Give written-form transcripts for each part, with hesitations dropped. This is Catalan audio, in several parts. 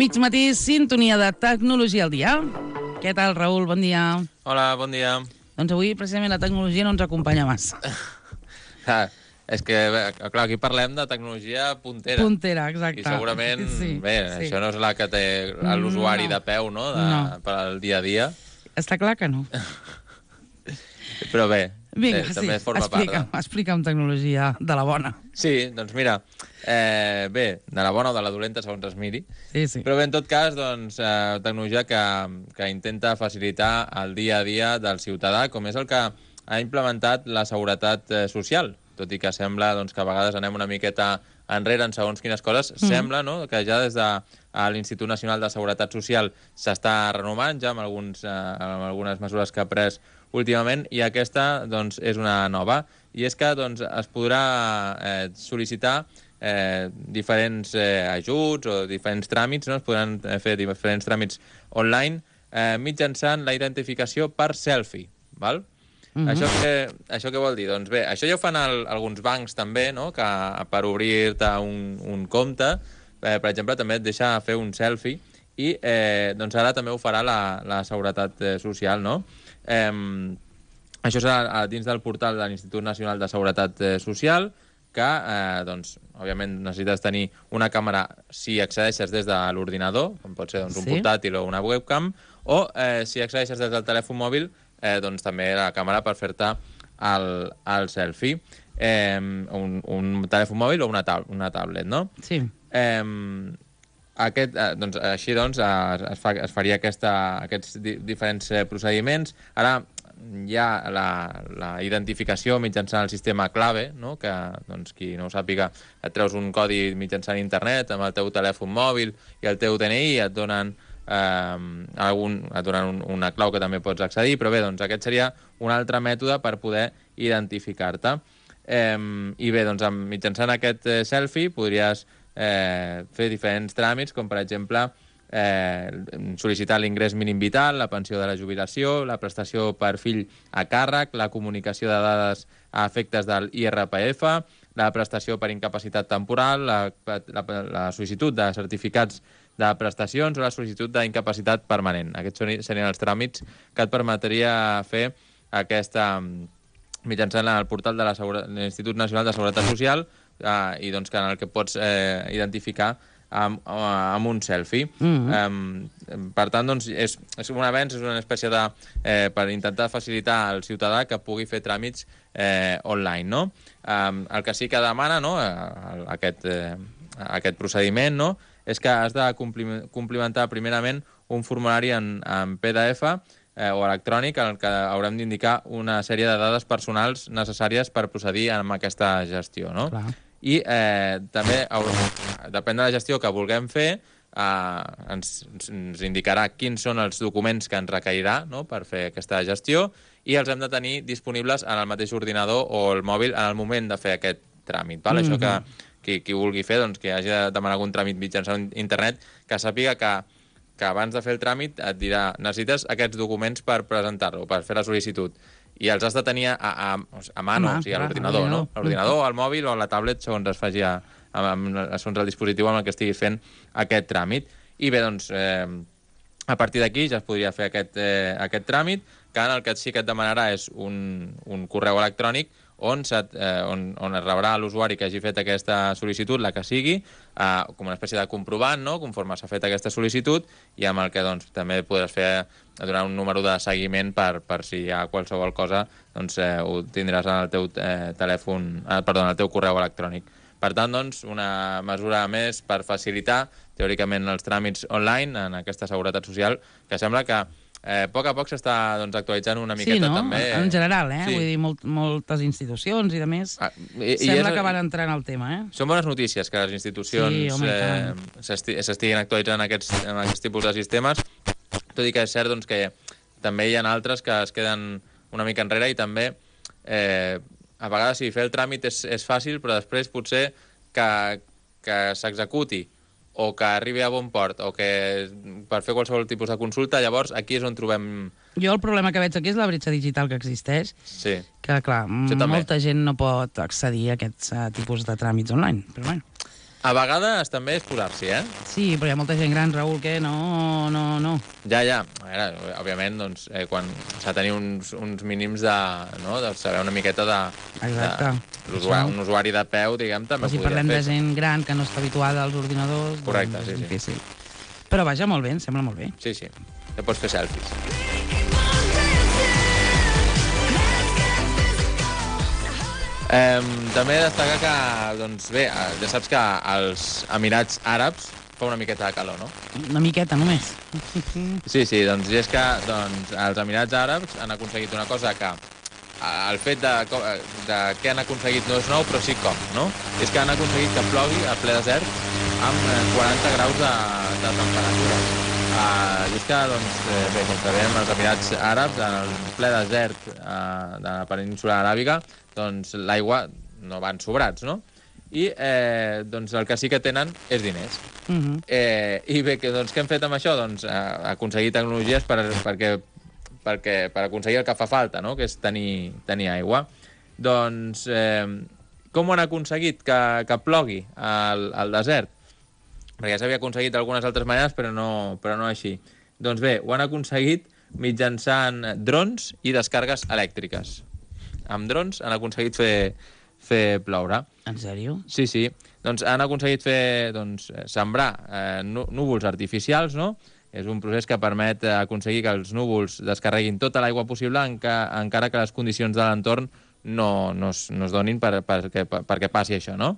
mig matí, sintonia de Tecnologia al dia. Què tal, Raül? Bon dia. Hola, bon dia. Doncs avui, precisament, la tecnologia no ens acompanya massa. És que, clar, aquí parlem de tecnologia puntera. Puntera, exacte. I segurament, sí. això no és la que té l'usuari de peu, no?, per al dia a dia. Està clar que no. Però bé, vinga, també forma part. Explica'm tecnologia de la bona. Sí, doncs mira, bé, de la bona o de la dolenta, segons es miri. Sí. Però bé, en tot cas, doncs, tecnologia que intenta facilitar el dia a dia del ciutadà, com és el que ha implementat la seguretat social. Tot i que sembla doncs, que a vegades anem una miqueta enrere en segons quines coses, sembla, no?, que ja des de l'Institut Nacional de Seguretat Social s'està renovant ja amb algunes mesures que ha pres últimament, i aquesta doncs, és una nova. I és que doncs, es podrà sol·licitar diferents ajuts o diferents tràmits, no? Es podran fer diferents tràmits online mitjançant la identificació per selfie, val? Això què vol dir? Doncs bé, això ja ho fan alguns bancs també, no?, que per obrir-te un compte, per exemple, també et deixa fer un selfie, i doncs ara també ho farà la Seguretat Social, no? Això serà dins del portal de l'Institut Nacional de Seguretat Social, que, doncs, òbviament necessites tenir una càmera si accedeixes des de l'ordinador, com pot ser doncs, un portàtil o una webcam, o si accedeixes des del telèfon mòbil, doncs també la càmera per fer-te el selfie. Un telèfon mòbil o una tablet, no? Sí. Així doncs es faria aquests diferents procediments. Ara hi ha la identificació mitjançant el sistema clave, no?, que doncs, qui no ho sàpiga, et treus un codi mitjançant internet amb el teu telèfon mòbil i el teu DNI, i et donen una clau que també pots accedir, però bé, doncs aquest seria un altre mètode per poder identificar-te. I bé, doncs mitjançant aquest selfie podries fer diferents tràmits, com per exemple sol·licitar l'ingrés mínim vital, la pensió de la jubilació, la prestació per fill a càrrec, la comunicació de dades a efectes del IRPF, la prestació per incapacitat temporal, la sol·licitud de certificats de prestacions o la sol·licitud d'incapacitat permanent. Aquests serien els tràmits que et permetria fer mitjançant el portal de l'Institut Nacional de Seguretat Social, i doncs en el que pots identificar amb un selfie. Per tant, doncs, és un avenç, és una espècie de per intentar facilitar al ciutadà que pugui fer tràmits online, no? El que sí que demana, no?, aquest procediment, no?, és que has de complimentar primerament un formulari en PDF o electrònic en el que haurem d'indicar una sèrie de dades personals necessàries per procedir amb aquesta gestió, no? Clar. I també, depèn de la gestió que vulguem fer, ens indicarà quins són els documents que ens requerirà, no?, per fer aquesta gestió, i els hem de tenir disponibles en el mateix ordinador o el mòbil en el moment de fer aquest tràmit. Val? Això que qui vulgui fer, doncs, que hagi de demanar algun tràmit mitjançant internet, que sàpiga que abans de fer el tràmit et dirà necessites aquests documents per presentar-lo, per fer la sol·licitud. I els has de tenir a mano, o sigui, a l'ordinador, no? A l'ordinador, al mòbil o a la tablet, segons es faci segons el dispositiu amb el que estiguis fent aquest tràmit. I bé, doncs, a partir d'aquí ja es podria fer aquest tràmit, que en el que sí que et demanarà és un correu electrònic on es rebrà l'usuari que hagi fet aquesta sol·licitud, la que sigui, com una espècie de comprovant, no?, conforme s'ha fet aquesta sol·licitud, i amb el que doncs, també podràs donar un número de seguiment per si hi ha qualsevol cosa, doncs ho tindràs en el teu en el teu correu electrònic. Per tant, doncs, una mesura més per facilitar, teòricament, els tràmits online en aquesta seguretat social, que sembla que a poc s'està actualitzant una miqueta, també. Sí, no? En general, Vull dir, moltes institucions i de més. Sembla que van entrar en el tema, Són bones notícies que les institucions s'estiguin actualitzant aquests tipus de sistemes, tot i que és cert que també hi ha altres que es queden una mica enrere, i també a vegades fer el tràmit és fàcil, però després potser que s'executi o que arribi a bon port, o que per fer qualsevol tipus de consulta, llavors aquí és on trobem... Jo el problema que veig aquí és la bretxa digital que existeix, que, clar, molta gent no pot accedir a aquests tipus de tràmits online, però bueno. A vegades també és posar-s'hi, Sí, però hi ha molta gent gran, Raül, que no. Ja. A veure, òbviament, doncs, quan s'ha de tenir uns mínims de saber una miqueta de... Exacte. Un usuari de peu, diguem, també podria fer. Si parlem de gent gran que no està habituada als ordinadors... Correcte, és difícil. Però vaja, molt bé, em sembla molt bé. Sí. Ja pots fer selfies. També destacar que, doncs bé, ja saps que als Emirats Àrabs fa una miqueta de calor, no? Una miqueta, només. Sí, doncs és que els Emirats Àrabs han aconseguit una cosa que el fet de què han aconseguit no és nou, però sí com, no? És que han aconseguit que plogui a ple desert amb 40 graus de temperatura. I és que, doncs, bé, com sabem, els Emirats Àrabs, en el ple desert de la península aràbiga, doncs l'aigua no van sobrats, no? I doncs el que sí que tenen és diners. I bé, doncs, què hem fet amb això? Doncs aconseguir tecnologies per aconseguir el que fa falta, no? Que és tenir aigua. Doncs com ho han aconseguit que plogui al desert? Perquè ja s'havia aconseguit d'algunes altres maneres, però no així. Doncs bé, ho han aconseguit mitjançant drons i descàrregues elèctriques. Amb drons han aconseguit fer ploure. En sèrio? Sí. Doncs han aconseguit sembrar núvols artificials, no? És un procés que permet aconseguir que els núvols descarreguin tota l'aigua possible encara que les condicions de l'entorn no es donin perquè passi això, no?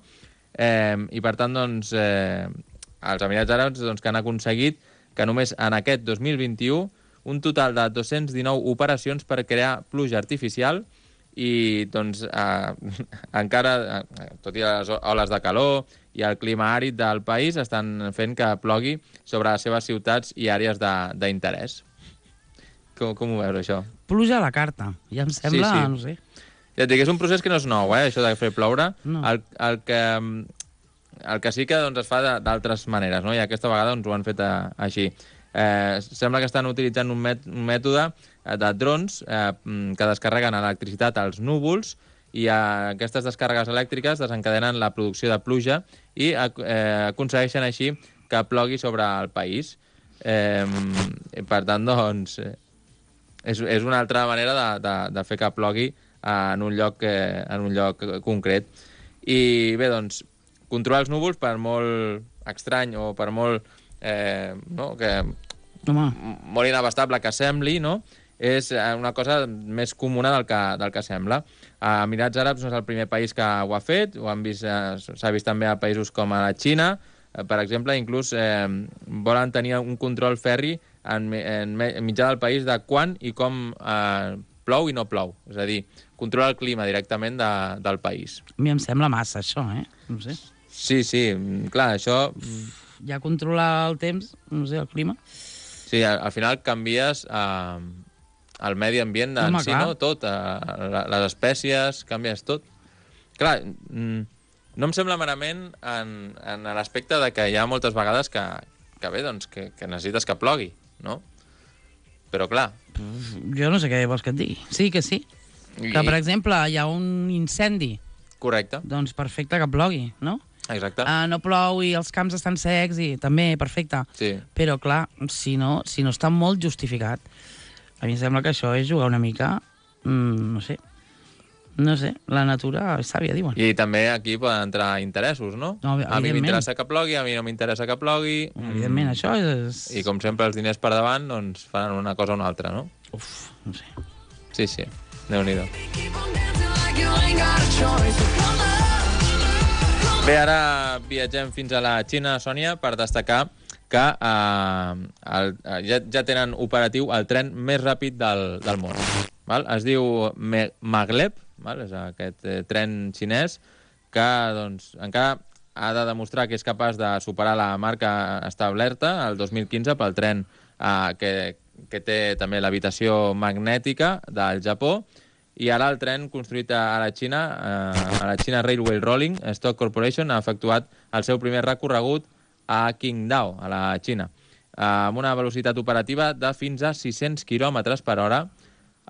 I per tant, doncs, els Emirats Àrabs que han aconseguit que només en aquest 2021 un total de 219 operacions per crear pluja artificial i doncs encara, tot i les oles de calor i el clima àrid del país, estan fent que plogui sobre les seves ciutats i àrees d'interès. Com ho veus, això? Pluja a la carta. Ja em sembla, sí. No sé. Ja et dic, és un procés que no és nou, això de fer ploure. No. El que sí que es fa d'altres maneres, no? I aquesta vegada ho han fet així. Sembla que estan utilitzant un mètode de drons que descarreguen electricitat als núvols i aquestes descàrregues elèctriques desencadenen la producció de pluja i aconsegueixen així que plogui sobre el país. Per tant, doncs, és una altra manera de fer que plogui en un lloc concret. I bé, doncs, controlar els núvols, per molt estrany o per molt molt inabastable que sembli, no? És una cosa més comuna del que sembla. Emirats Àrabs no és el primer país que ho ha fet, s'ha vist també a països com a la Xina. Per exemple, inclús volen tenir un control ferri en mitjà del país de quan i com plou i no plou. És a dir, controla el clima directament del país. A mi em sembla massa, això, No sé. Sí, clar, això... Ja controlar el temps, no sé, el clima. Sí, al final canvies el medi ambient en si, no? Tot, les espècies, canvies tot. Clar, no em sembla merament en l'aspecte de que hi ha moltes vegades que bé, doncs, que necessites que plogui, no? Però clar... Jo no sé què vols que et digui. Sí que sí. Que, per exemple, hi ha un incendi. Correcte. Doncs perfecte que plogui, no? Exacte. No plou i els camps estan secs i també, perfecte. Sí. Però, clar, si no està molt justificat, a mi em sembla que això és jugar una mica, no sé, la natura és sàvia, diuen. I també aquí poden entrar interessos, no? A mi m'interessa que plogui, a mi no m'interessa que plogui. Evidentment, això és... I com sempre els diners per davant, doncs faran una cosa o una altra, no? Uf, no sé. Sí, Déu-n'hi-do. Bé, ara viatgem fins a la Xina, Sònia, per destacar que ja tenen operatiu el tren més ràpid del món. Val? Es diu Maglev, val? És aquest tren xinès que doncs, encara ha de demostrar que és capaç de superar la marca establerta el 2015 pel tren que té també l'habitació magnètica del Japó. I ara el tren construït a la China Railway Rolling Stock Corporation ha efectuat el seu primer recorregut a Qingdao, a la Xina. Amb una velocitat operativa de fins a 600 km per hora,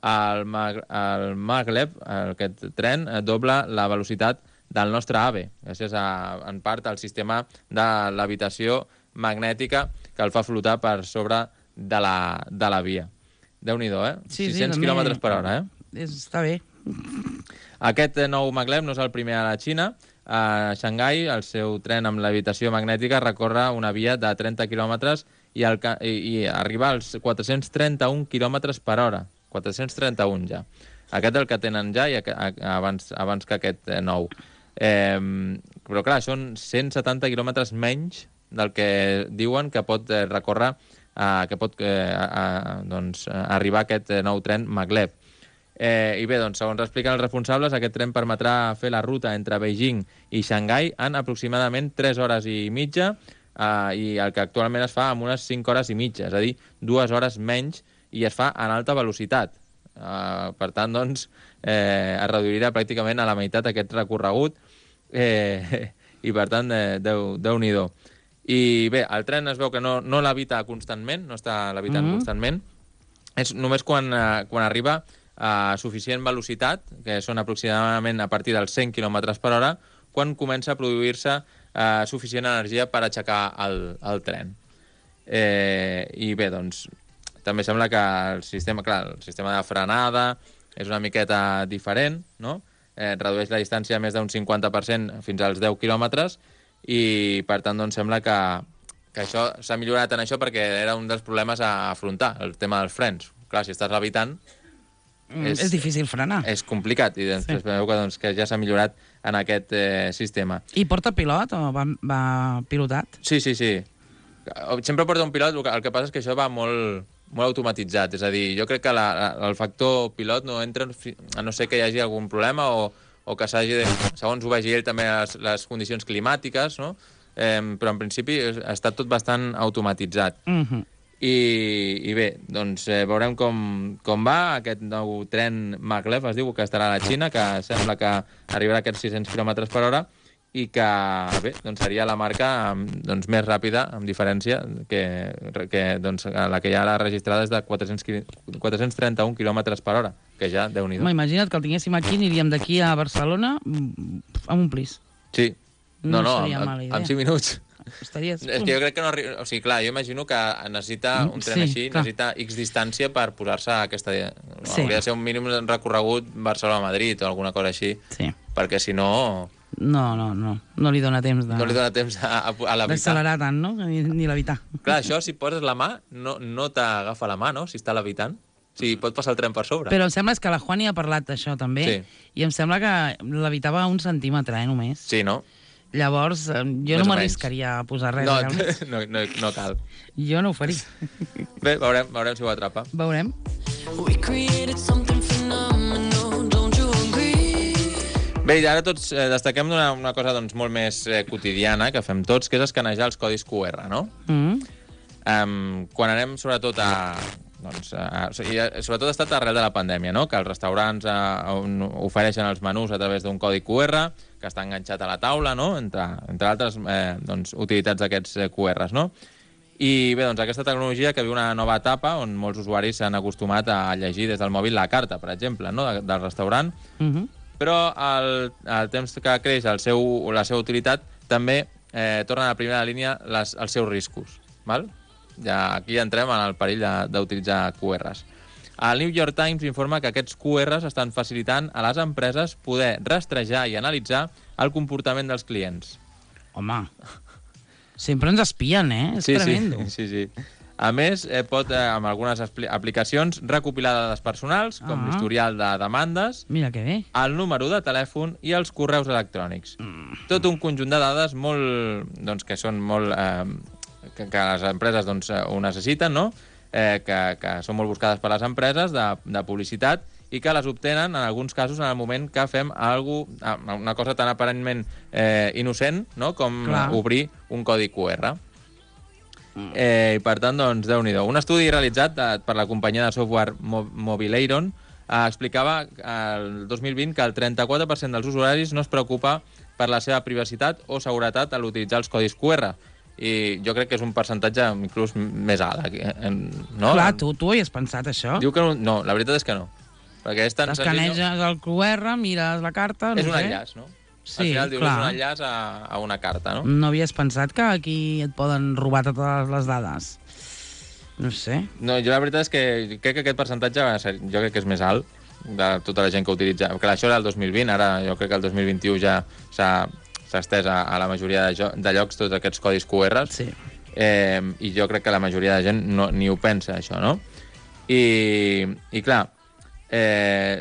el Maglev, aquest tren, dobla la velocitat del nostre AVE, gràcies en part al sistema de l'habitació magnètica que el fa flotar per sobre de la via. Déu-n'hi-do, 600 km per hora, Està bé. Aquest nou maglev no és el primer a la Xina. A Xangai, el seu tren amb l'habitació magnètica recorre una via de 30 quilòmetres i arriba als 431 quilòmetres per hora. 431 ja. Aquest és el que tenen ja i abans que aquest nou. Però clar, són 170 quilòmetres menys del que diuen que pot recórrer, que pot arribar aquest nou tren maglev. I bé, doncs, segons expliquen els responsables, aquest tren permetrà fer la ruta entre Beijing i Xangai en aproximadament 3 hores i mitja i el que actualment es fa en unes 5 hores i mitja, és a dir, 2 hores menys, i es fa en alta velocitat. Per tant, doncs, es reduirà pràcticament a la meitat aquest recorregut i, per tant, Déu-n'hi-do. I bé, el tren es veu que no l'evita constantment, no està levitant constantment, és només quan arriba a suficient velocitat, que són aproximadament a partir dels 100 km per hora, quan comença a produir-se suficient energia per aixecar el tren. I bé, doncs, també sembla que el sistema de frenada és una miqueta diferent, no? Redueix la distància més d'un 50% fins als 10 quilòmetres i, per tant, doncs, sembla que això s'ha millorat en això perquè era un dels problemes a afrontar, el tema dels frens. Clar, si estàs levitant... És difícil frenar. És complicat i després veu que ja s'ha millorat en aquest sistema. I porta pilot o va pilotat? Sí. Sempre porta un pilot, el que passa és que això va molt automatitzat, és a dir, jo crec que el factor pilot no entra, a no ser que hi hagi algun problema o que s'hagi de... Segons ho vegi ell també les condicions climàtiques, no? Però en principi està tot bastant automatitzat. I bé, doncs veurem com va aquest nou tren maglev, es diu, que estarà a la Xina, que sembla que arribarà a aquests 600 km per hora i que, bé, doncs seria la marca més ràpida, amb diferència, que la que ja l'ha registrada és de 431 km per hora, que ja, Déu-n'hi-do. Imagina't que el tinguéssim aquí, aniríem d'aquí a Barcelona amb un plis. Sí. No, amb 5 minuts. Estaries... És que jo crec que no arriba... O sigui, clar, jo imagino que necessita un tren així, necessita X distància per posar-se a aquesta... Hauria de ser un mínim recorregut Barcelona-Madrid o alguna cosa així, perquè si no... No li dona temps de... No li dona temps a levitar. D'accelerar tant, no? Ni levitar. Clar, això, si poses la mà, no t'agafa la mà, no? Si està levitant. O sigui, pot passar el tren per sobre. Però em sembla que la Juani ha parlat d'això, també, i em sembla que levitava 1 centímetre, només. Sí, no? Llavors, jo no m'arriscaria a posar res. No cal. Jo no ho faria. Bé, veurem si ho atrapa. Veurem. Bé, i ara tots destaquem una cosa molt més quotidiana que fem tots, que és escanejar els codis QR, no? Quan anem sobretot sobretot ha estat arrel de la pandèmia, no? Que els restaurants ofereixen els menús a través d'un codi QR que està enganxat a la taula, no? Entre altres utilitats d'aquests QRs, no? I bé, doncs aquesta tecnologia que viu una nova etapa on molts usuaris s'han acostumat a llegir des del mòbil la carta, per exemple, no? Del restaurant, però el temps que creix la seva utilitat també tornen a la primera línia els seus riscos, val? Ja aquí entrem en el perill d'utilitzar QRs. El New York Times informa que aquests QRs estan facilitant a les empreses poder rastrejar i analitzar el comportament dels clients. Home, sempre ens espien, És tremendo. Sí. A més, pot, amb algunes aplicacions, recopilar dades personals, com l'historial de demandes, mira que bé, el número de telèfon i els correus electrònics. Tot un conjunt de dades que són molt... que les empreses ho necessiten, no? Que són molt buscades per les empreses de publicitat i que les obtenen, en alguns casos, en el moment que fem una cosa tan aparentment innocent, no? Com obrir un codi QR. I per tant, doncs, Déu-n'hi-do. Un estudi realitzat per la companyia de software Mobileiron explicava el 2020 que el 34% dels usuaris no es preocupa per la seva privacitat o seguretat a l'utilitzar els codis QR. I jo crec que és un percentatge inclús més alt. No? Clar, tu hi has pensat, això? Diu que no, la veritat és que no. Perquè és tan escaneges el QR, mires la carta... És un enllaç, no? Al final dius, és un enllaç a una carta, no? No havies pensat que aquí et poden robar totes les dades? No sé. No, jo la veritat és que crec que aquest percentatge jo crec que és més alt de tota la gent que utilitza. Clar, això era el 2020, ara jo crec que el 2021 ja s'ha estès a la majoria de llocs tots aquests codis QR. Sí. I jo crec que la majoria de gent ni ho pensa, això, no? I clar,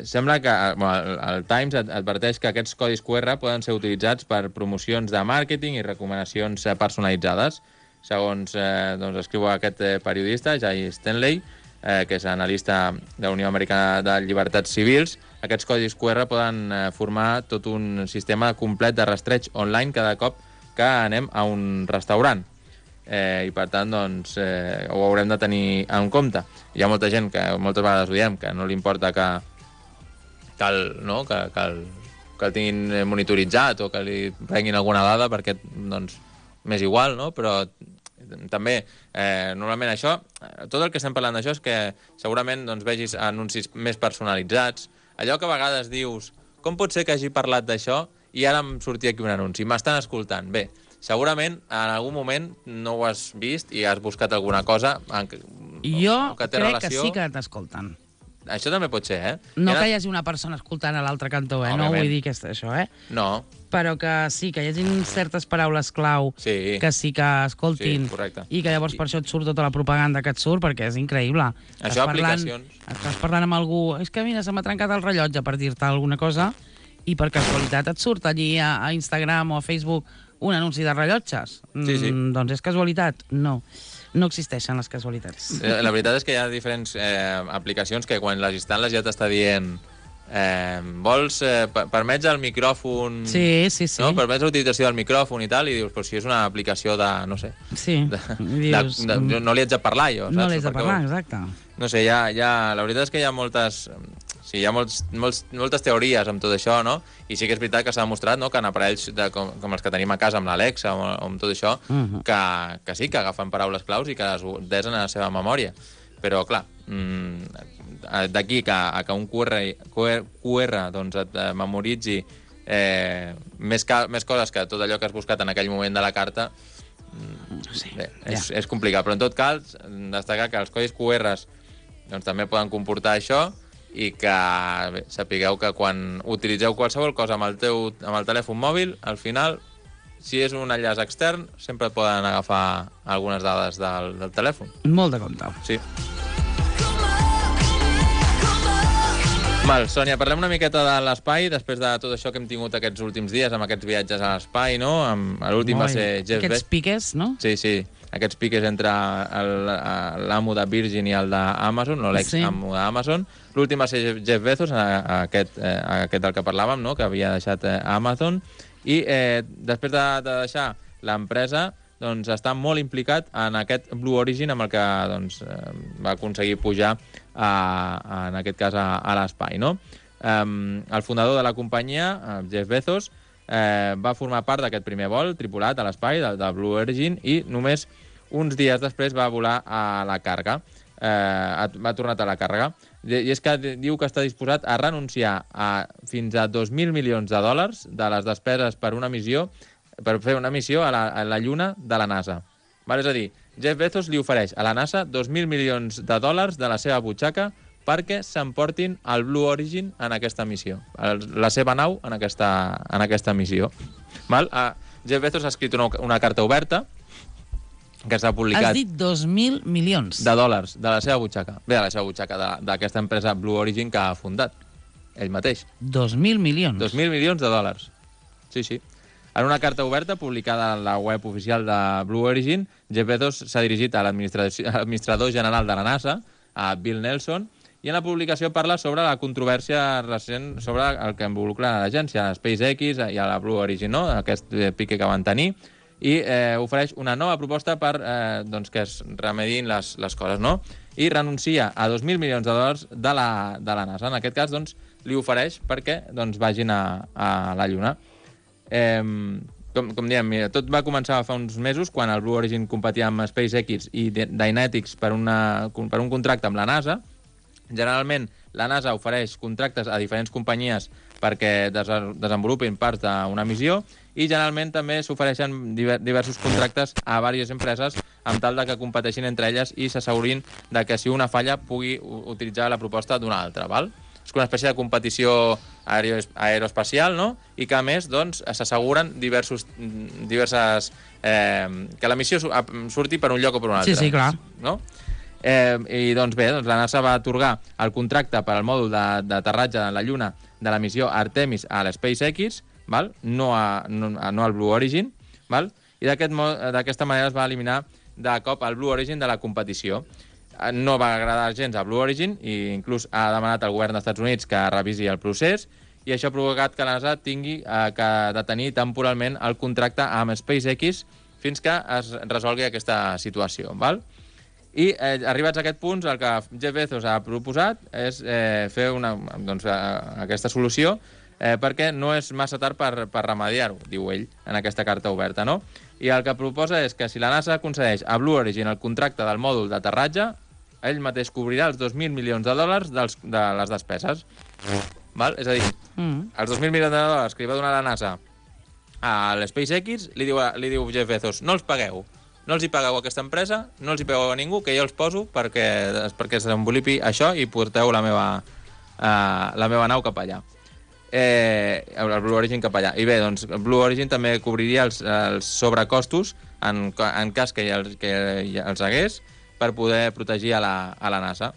sembla que el Times adverteix que aquests codis QR poden ser utilitzats per promocions de màrqueting i recomanacions personalitzades. Segons doncs, escriu aquest periodista, Jay Stanley, que és analista de la Unió Americana de Llibertats Civils, aquests codis QR poden formar tot un sistema complet de rastreig online cada cop que anem a un restaurant. I per tant, doncs, ho haurem de tenir en compte. Hi ha molta gent que moltes vegades ho diem, que no li importa que el tinguin monitoritzat o que li prenguin alguna dada perquè doncs, m'és igual, no? Però també, normalment això, tot el que estem parlant d'això és que segurament doncs, vegis anuncis més personalitzats, allò que a vegades dius, com pot ser que hagi parlat d'això i ara em sortia aquí un anunci, m'estan escoltant. Bé, segurament en algun moment no ho has vist i has buscat alguna cosa jo que té crec relació... que sí que t'escolten. Això també pot ser, No que hi hagi una persona escoltant a l'altre cantó, no vull dir que això, No. Però que sí, que hi hagi certes paraules clau que sí que escoltin i que llavors per això et surt tota la propaganda que et surt, perquè és increïble. Això, aplicacions... Estàs parlant amb algú, és que mira, se m'ha trencat el rellotge per dir-te alguna cosa i per casualitat et surt allí a Instagram o a Facebook un anunci de rellotges. Sí. Doncs és casualitat? No. No existeixen les casualitats. La veritat és que hi ha diferents aplicacions que quan les instal·les ja t'està dient vols, permets el micròfon... Sí. No? Permets l'utilització del micròfon i tal, i dius, però si és una aplicació de, no sé... Sí, dius... No li haig de parlar, jo, saps? No li haig de parlar, exacte. No sé, la veritat és que hi ha moltes... Sí, hi ha moltes teories amb tot això, no? I sí que és veritat que s'ha demostrat, no?, que en aparells com els que tenim a casa amb l'Alexa o amb tot això, que sí, que agafen paraules claus i que les desen a la seva memòria. Però, clar, d'aquí que un QR doncs, et memoritzi més coses que tot allò que has buscat en aquell moment de la carta, bé, és complicat. Però, en tot cas, destacar que els codis QR doncs, també poden comportar això, i que bé, sapigueu que quan utilitzeu qualsevol cosa amb el telèfon mòbil, al final, si és un enllaç extern, sempre et poden agafar algunes dades del telèfon. Molt de compte. Sí. Val, Sònia, parlem una miqueta de l'espai, després de tot això que hem tingut aquests últims dies, amb aquests viatges a l'espai, no? L'últim va ser Jeff Bezos. Aquests piques, no? Sí. Aquests piques entre l'amo de Virgin i el d'Amazon, no, l'ex-amo d'Amazon. L'últim va ser Jeff Bezos, aquest del que parlàvem, no?, que havia deixat Amazon. I després de deixar l'empresa, doncs, està molt implicat en aquest Blue Origin amb el que doncs, va aconseguir pujar, en aquest cas, a l'espai, no? El fundador de la companyia, Jeff Bezos, va formar part d'aquest primer vol tripulat a l'espai, de Blue Origin, i només uns dies després va volar a la càrrega. Va tornar a la càrrega. I és que diu que està disposat a renunciar a fins a 2.000 milions de dòlars de les despeses per fer una missió a la Lluna de la NASA. És a dir, Jeff Bezos li ofereix a la NASA 2.000 milions de dòlars de la seva butxaca perquè s'emportin el Blue Origin en aquesta missió, la seva nau en aquesta missió. Jeff Bezos ha escrit una carta oberta que s'ha publicat... Has dit 2.000 milions. De dòlars, de la seva butxaca. Bé, de la seva butxaca, d'aquesta empresa Blue Origin que ha fundat ell mateix. 2.000 milions? 2.000 milions de dòlars. Sí. En una carta oberta publicada a la web oficial de Blue Origin, Jeff Bezos s'ha dirigit a l'administrador general de la NASA, a Bill Nelson, i en la publicació parla sobre la controvèrsia recent sobre el que involucra l'agència, a SpaceX i a la Blue Origin, no?, aquest pique que van tenir, i ofereix una nova proposta per que es remedin les coses, no? I renuncia a 2.000 milions de dòlars de la NASA. En aquest cas, doncs, li ofereix perquè vagin a la Lluna. Com diem, tot va començar fa uns mesos, quan el Blue Origin competia amb SpaceX i Dynetics per un contracte amb la NASA. Generalment, la NASA ofereix contractes a diferents companyies perquè desenvolupin parts d'una missió, i generalment també s'ofereixen diversos contractes a diverses empreses amb tal de que competeixin entre elles i s'assegurin de que si una falla pugui utilitzar la proposta d'una altra, val? És una espècie de competició aeroespacial, no? I que, a més, doncs, s'asseguren diverses... que la missió surti per un lloc o per un altre. Sí, clar. No? I, doncs bé, la NASA va atorgar el contracte per al mòdul d'aterratge a la Lluna de la missió Artemis a l'SpaceX, val? No al Blue Origin, val? I d'aquesta manera es va eliminar de cop el Blue Origin de la competició. No va agradar gens a Blue Origin i inclús ha demanat al govern dels Estats Units que revisi el procés, i això ha provocat que la NASA tingui que detenir temporalment el contracte amb SpaceX fins que es resolgui aquesta situació, val? I arribats a aquest punt, el que Jeff Bezos ha proposat és fer aquesta solució perquè no és massa tard per remediar-ho, diu ell, en aquesta carta oberta, no? I el que proposa és que si la NASA concedeix a Blue Origin el contracte del mòdul d'aterratge, ell mateix cobrirà els 2.000 milions de dòlars de les despeses. Val? És a dir, els 2.000 milions de dòlars que li va donar la NASA a l'SpaceX, li diu Jeff Bezos, no els pagueu. No els hi pagueu a aquesta empresa, no els hi pagueu a ningú, que jo els poso perquè es desenvolupi això i porteu la meva nau cap allà. El Blue Origin cap allà. I bé, doncs, el Blue Origin també cobriria els sobrecostos en cas que els hagués per poder protegir a la NASA.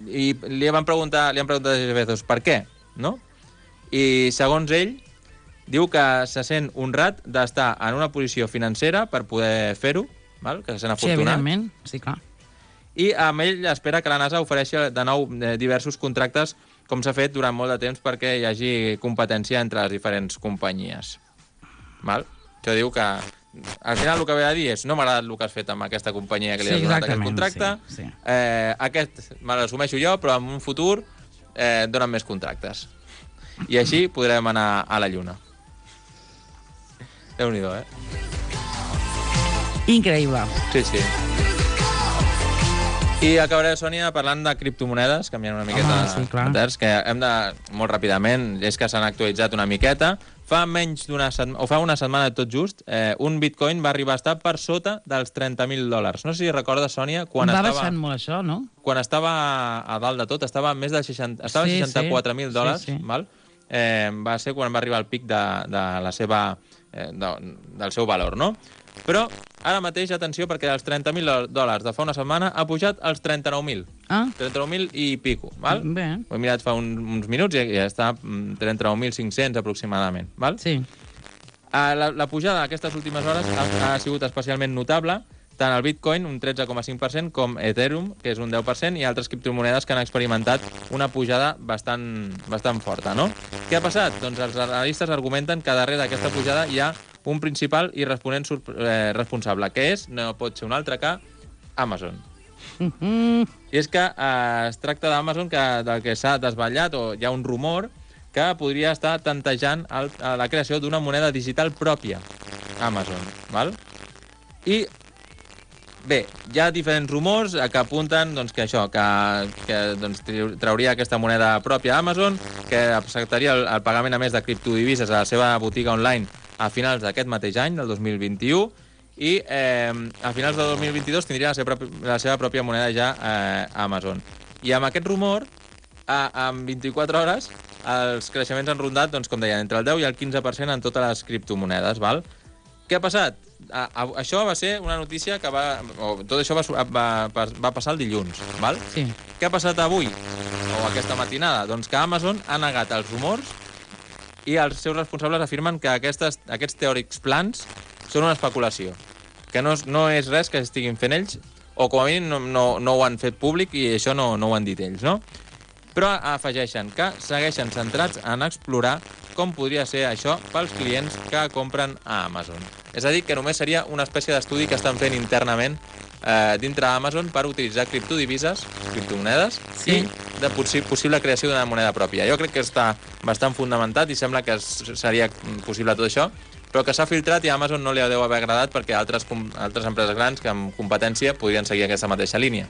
I li han preguntat a Jeff Bezos per què, no? I segons ell, diu que se sent honrat d'estar en una posició financera per poder fer-ho, que se sent afortunat. Sí, evidentment, sí, clar. I amb ell espera que la NASA ofereixi de nou diversos contractes, com s'ha fet durant molt de temps, perquè hi hagi competència entre les diferents companyies. Val? Això diu que al final el que ve a dir és no m'ha agradat el que has fet amb aquesta companyia que li has donat aquest contracte, sí. Aquest me l'assumeixo jo, però en un futur donen més contractes. I així podrem anar a la Lluna. Déu-n'hi-do, Increïble. Sí. I acabaré, Sònia, parlant de criptomonedes, canviant una miqueta de terç, que hem de, molt ràpidament, és que s'han actualitzat una miqueta. Fa una setmana tot just, un bitcoin va arribar a estar per sota dels $30.000. No sé si recordes, Sònia, quan baixant molt això, no? Quan estava a dalt de tot, estava a més de 64.000 dòlars, val? Va ser quan va arribar al pic del seu valor, no? Però ara mateix, atenció, perquè dels $30.000 de fa una setmana ha pujat als 39.000. 39.000 i pico, val? Bé. Ho he mirat fa uns minuts i ja està 39.500 aproximadament, val? Sí. La pujada d'aquestes últimes hores ha sigut especialment notable, tant el Bitcoin, un 13,5%, com Ethereum, que és un 10%, i altres criptomonedes que han experimentat una pujada bastant forta, no? Què ha passat? Doncs els analistes argumenten que darrere d'aquesta pujada hi ha un principal i responent responsable, que no pot ser un altre que Amazon. I és que es tracta d'Amazon, del que s'ha desvetllat, o hi ha un rumor, que podria estar tantejant la creació d'una moneda digital pròpia, Amazon, val? I bé, hi ha diferents rumors que apunten que trauria aquesta moneda pròpia a Amazon, que acceptaria el pagament a més de criptodivises a la seva botiga online a finals d'aquest mateix any, del 2021, i a finals del 2022 tindria la seva pròpia moneda ja a Amazon. I amb aquest rumor, en 24 hores, els creixements han rondat, com deia, entre el 10 i el 15% en totes les criptomonedes, val? Què ha passat? Això va ser una notícia que tot això va passar el dilluns, val? Sí. Què ha passat avui, o aquesta matinada? Doncs que Amazon ha negat els rumors i els seus responsables afirmen que aquests teòrics plans són una especulació, que no és res que estiguin fent ells, o com a mínim no ho han fet públic i això no ho han dit ells, no? Però afegeixen que segueixen centrats en explorar com podria ser això pels clients que compren a Amazon. És a dir, que només seria una espècie d'estudi que estan fent internament dintre Amazon per utilitzar criptodivises, criptomonedes, i de possible creació d'una moneda pròpia. Jo crec que està bastant fundamentat i sembla que seria possible tot això, però que s'ha filtrat i a Amazon no li deu haver agradat perquè altres empreses grans que amb competència podrien seguir aquesta mateixa línia.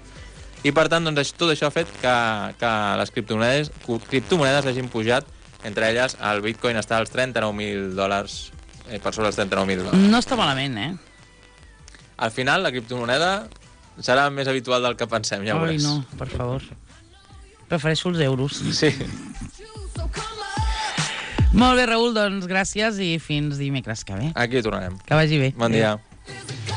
I per tant, tot això ha fet que les criptomonedes hagin pujat Entre elles, el Bitcoin està als $39.000, per sobre els 39.000. No està malament, Al final, la criptomoneda serà més habitual del que pensem, ja ho Ai, veuràs. no, per favor. Prefereixo els euros. Sí. Molt bé, Raül, doncs gràcies i fins dimecres que ve. Aquí tornarem. Que vagi bé. Bon dia. Adéu.